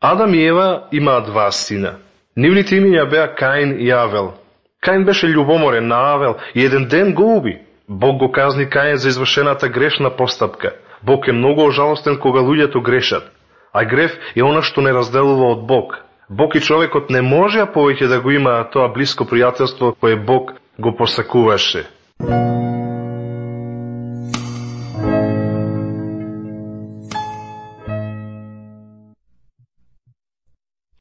Адам и Ева имаат два сина. Нивните имиња беа Каин и Авел. Каин беше љубоморен на Авел и еден ден го уби. Бог го казни Каин за извршената грешна постапка. Бог е многу ожалостен кога луѓето грешат. А грев е она што не разделува од Бог. Бог и човекот не можеа повеќе да го имаат тоа блиско пријателство кое Бог го посакуваше.